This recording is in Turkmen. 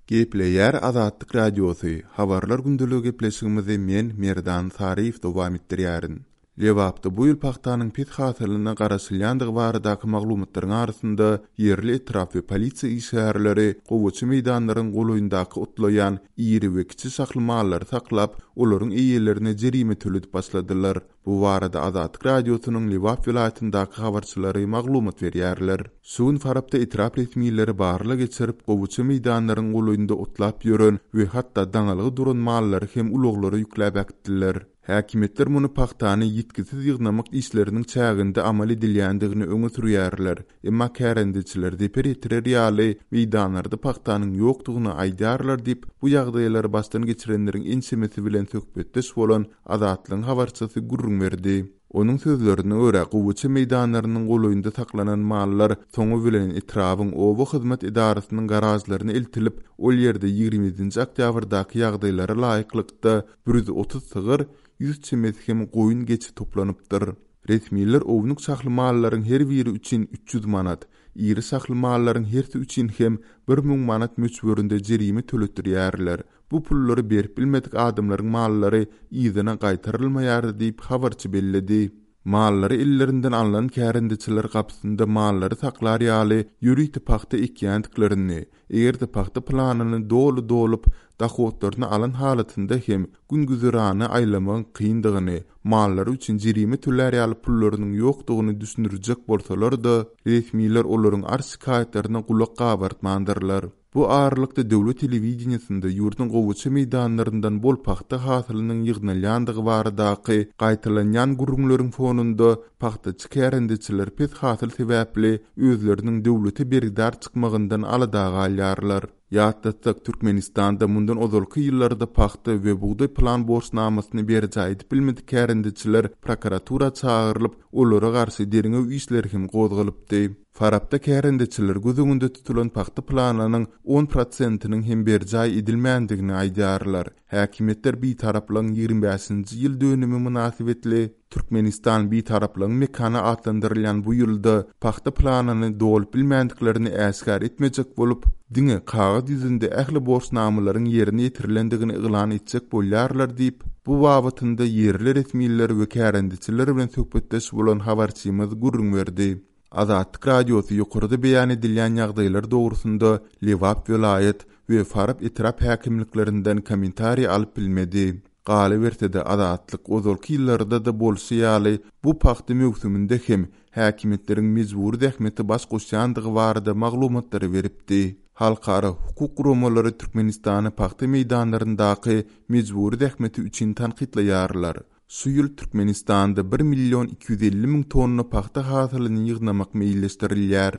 Gepleýär Azatlyk Radiosy, Habarlar gündeligi gepleşigimizi men, Merdan Saryýew dowam etdirýärin. Lebapda bu ýyl pagtanyň pes hasylyna garaşylýandygy baradaky maglumatlaryň arasynda ýerli etrap we polisiýa işgärleri gowaça meýdanlaryň golaýyndaky otlaýan iri we kiçi şahly mallary saklap, olaryň eýelerine jerime töledip başladylar. Bu barada Azatlyk Radiosynyň Lebap welaýatyndaky habarçylary maglumat berýärler. Şu gün Farapda etrap resmileri barlag geçirip, gowaça meýdanlaryň golaýynda otlap ýören we hatda daňylgy duran mallary hem ulaglara ýükläp äkitdiler. Häkimiýetler muny pagtany ýitgisiz ýygnamak işleriniň çäginde amal edilýändigini öňe sürýärler. Emma kärendeçiler zeper ýetirer ýaly meýdanlarda pagtanyň ýokdugyny aýdýarlar diýip, bu ýagdaýlary başdan geçirenleriň ençemesi bilen söhbetdeş bolan Azatlygyň habarçysy gürrüň berdi. Onuň sözlerine görä, gowaça meýdanlarynyň golaýynda saklanan mallar soňy bilen etrabyň oba hyzmat edarasynyň garažlaryna eltilip, ol ýerde 27-nji oktýabrdaky ýagdaýlara laýyklykda 130 sygyr, 100 çemesi hem goýun-geçi toplanypdyr. Resmiler ownuk şahly mallaryň her biri üçin 300 manat, iri şahly mallaryň hersi üçin hem 1000 manat möçberinde jerime töletdirýärler. Bu pullary berip bilmedik adamlaryň mallary yzyna gaýtarylmaýar diýip, habarçy belledi. Mallary ellerinden alnan kärendeçiler gapysynda mallary saklar ýaly ýörite pagta ekýändiklerini, eger-de pagta planyny doly dolup, dohodlaryny alan halatynda hem gün-güzerany aýlamagyň kyndygyny, mallary üçin jerime tölär ýaly pullarynyň ýokdugyny düşündirjek bolsalar-da, resmiler olaryň arz-şikaýatlaryna gulak gabartmandyrlar. Bu aralykda döwlet telewideniýesinde ýurduň gowaça meýdanlaryndan bol pagta hasylynyň ýygnalýandygy baradaky gaýtalanýan gürrüňleriň fonunda pagtaçy kärendeçiler pes hasyl sebäpli özleriniň döwlete bergidar çykmagyndan alada galýarlar. Ýatlatsak, Türkmenistanda mundan ozalky ýyllarda pagta we bugdaý plan borçnamasyny berjaý edip bilmedik kärendeçiler prokuratura çagyrylyp, olara garşy derňew işleri hem gozgalypdy. Farapda kärendeçiler göz öňünde tutulan pagta planynyň on prosentiniň hem berjaý edilmändigini aýdýarlar. Häkimiýetler Bitaraplygyň 25-nji ýyl dönümi mynasybetli Türkmenistan Bitaraplygyň mekany atlandyrylýan bu ýylda pagta planyny dolup bilmändiklerini äşgär etmejek bolup, diňe kagyz ýüzünde ähli borçnamalaryň ýerine ýetirilendigini yglan etjek bolýarlar diýip, bu babatynda ýerli resmiler we kärendeçiler bilen söhbetdeş bolan habarçymyz gürrüň berdi. Azatlyk Radiosy ýokarda beýan edilýän ýagdaýlar dogrusynda Lebap welaýat we Farap etrap häkimliklerinden kommentariý alyp bilmedi. Galyberse-de, Azatlyk ozalky ýyllarda-da bolşy ýaly, bu pagta möwsüminde hem häkimiýetleriň mejbury zähmete baş goşýandygy barada maglumatlary beripdi. Halkara hukuk guramalary Türkmenistany pagta meýdanlaryndaky mejbury zähmeti üçin tankytlaýarlar. Şu ýyl Türkmenistanda bir million 250 müň tonna pagta hasylyny ýygnamak meýilleşdirilýär.